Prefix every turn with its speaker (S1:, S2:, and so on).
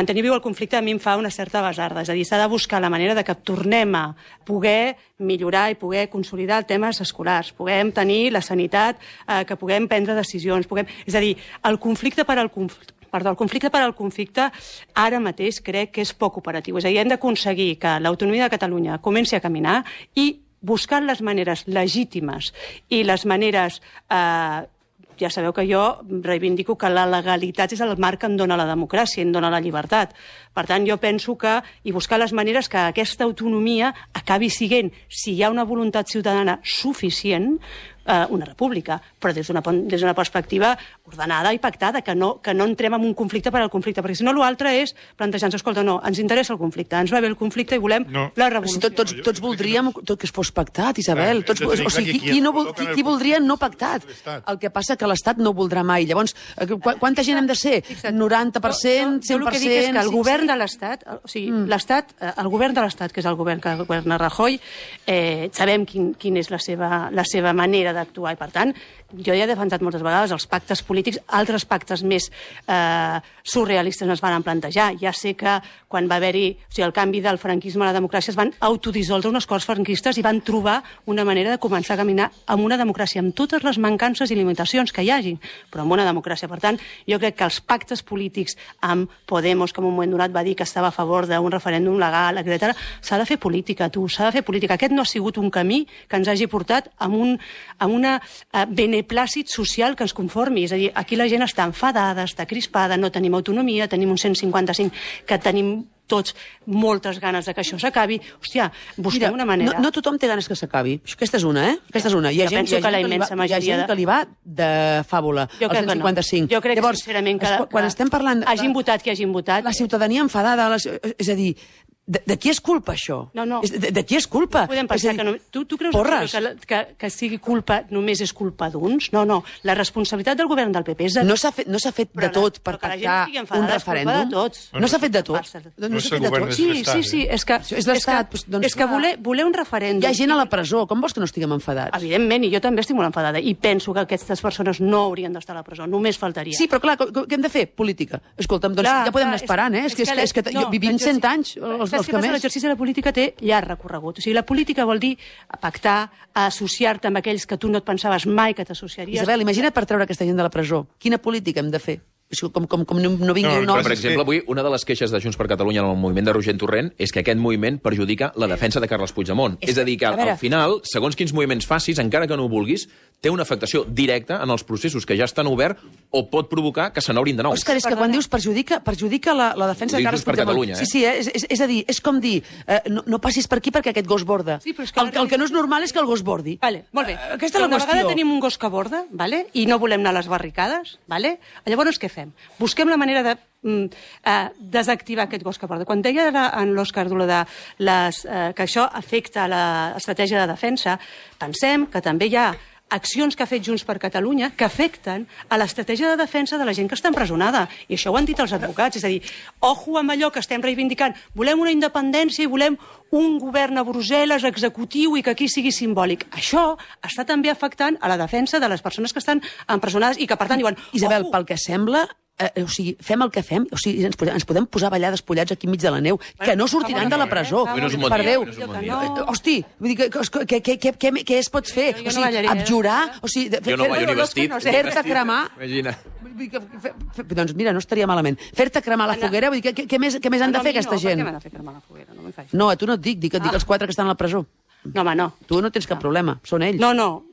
S1: mantenir viu el conflicte a mi em fa una certa basarda. És a dir, s'ha de buscar la manera de que tornem a poder millorar i poder consolidar temes escolars, puguem tenir la sanitat, que puguem prendre decisions, és a dir, el conflicte per al conflicte ara mateix crec que és poc operatiu. És a dir, hem d'aconseguir que l'autonomia de Catalunya comenci a caminar i buscar les maneres legítimes i les maneres... Ja sabeu que jo reivindico que la legalitat és el marc que em dona la democràcia, em dona la llibertat. Per tant, jo penso que... I buscar les maneres que aquesta autonomia acabi sent, si hi ha una voluntat ciutadana suficient, una república, però des d'una perspectiva ordenada i pactada, que no entrem en un conflicte per al conflicte, perquè si no l'altre és plantejar-nos, escolta, no, ens interessa el conflicte, ens va bé el conflicte i volem la revolució.
S2: Tots voldríem que es fos pactat, Isabel. O sigui, qui voldria no pactat? El que passa que l'Estat no ho voldrà mai. Llavors, quanta gent hem de ser? 90%, 100%...
S1: Jo el que dic és que el govern de l'Estat, o sigui, el govern de l'Estat, que és el govern que governa Rajoy, sabem quina és la seva manera d'actuar i, per tant, jo ja he defensat moltes vegades els pactes polítics, altres pactes més surrealistes no es van plantejar. Ja sé que quan va haver-hi el canvi del franquisme a la democràcia es van autodissoldre unes corts franquistes i van trobar una manera de començar a caminar amb una democràcia, amb totes les mancances i limitacions que hi hagin, però amb una democràcia. Per tant, jo crec que els pactes polítics amb Podemos, que en un moment donat va dir que estava a favor d'un referèndum legal, etc., s'ha de fer política, s'ha de fer política. Aquest no ha sigut un camí que ens hagi portat a una beneplàcit social que ens conformi. És a dir, aquí la gent està enfadada, està crispada, no tenim autonomia, tenim un 155 que tenim tots moltes ganes de que això s'acabi. Hòstia, busquem una manera.
S2: No tothom té ganes que s'acabi. Aquesta és una, Aquesta és una. Hi ha gent que li va de fàbula, el 155.
S1: Jo crec, sincerament, que
S2: quan estem parlant...
S1: Hagin votat qui hagin votat.
S2: La ciutadania enfadada, és a dir... De qui és culpa, això?
S1: No.
S2: De qui és culpa?
S1: Podem pensar que no... Tu creus que sigui culpa només és culpa d'uns? No. La responsabilitat del govern del PP és de...
S2: No s'ha fet de tot per pactar un referèndum? No s'ha fet de tot?
S3: No s'ha fet de tot?
S1: Sí. És
S2: l'Estat.
S1: És que voler un referèndum...
S2: Hi ha gent a la presó. Com vols que no estiguem enfadats?
S1: Evidentment, i jo també estic molt enfadada. I penso que aquestes persones no haurien d'estar a la presó. Només faltaria.
S2: Sí, però clar, què hem de fer? Política. Escolta'm, doncs ja podem anar esperant, És que vivim 100 anys,
S1: l'exercici de la política té llarg recorregut. O sigui, la política vol dir pactar, associar-te amb aquells que tu no et pensaves mai que t'associaries.
S2: Isabel, imagina't per treure aquesta gent de la presó. Quina política hem de fer? Com no vingui un nom...
S4: Per exemple, avui una de les queixes de Junts per Catalunya en el moviment de Roger Torrent és que aquest moviment perjudica la defensa de Carles Puigdemont. És a dir, que al final, segons quins moviments facis, encara que no ho vulguis, té una afectació directa en els processos que ja estan oberts o pot provocar que se n'obrin de nou.
S2: Òscar, és que quan dius perjudica la defensa de Carles Puigdemont. Sí, és a dir, és com dir, no passis per aquí perquè aquest gos borda. El que no és normal és que el gos bordi.
S1: Molt bé.
S2: Aquesta és la qüestió.
S1: Una vegada tenim un gos que borda, i no volem anar a les barricades, llavors què fem? Busquem la manera de desactivar aquest gos que borda. Quan deia en l'Òscar que això afecta l'estratègia de defensa, pensem que també hi ha accions que ha fet Junts per Catalunya que afecten a l'estratègia de defensa de la gent que està empresonada. I això ho han dit els advocats. És a dir, ojo amb allò que estem reivindicant. Volem una independència i volem un govern a Brussel·les executiu i que aquí sigui simbòlic. Això està també afectant a la defensa de les persones que estan empresonades i que, per tant, diuen...
S2: Isabel, pel que sembla... O sigui, fem el que fem, o sigui, ens podem posar a ballar despullats aquí enmig de la neu, que no sortiran de la presó, per Déu. Hosti, què es pot fer? O sigui, abjurar?
S4: Jo no ballo ni vestit.
S2: Fer-te cremar... Doncs mira, no estaria malament. Fer-te cremar la foguera, vull dir, què més han de fer aquesta gent?
S1: Per què m'han de fer cremar la foguera? No m'hi faig.
S2: No, a tu no et dic els 4 que estan a la presó.
S1: No, home, no.
S2: Tu no tens cap problema, són ells.
S1: No,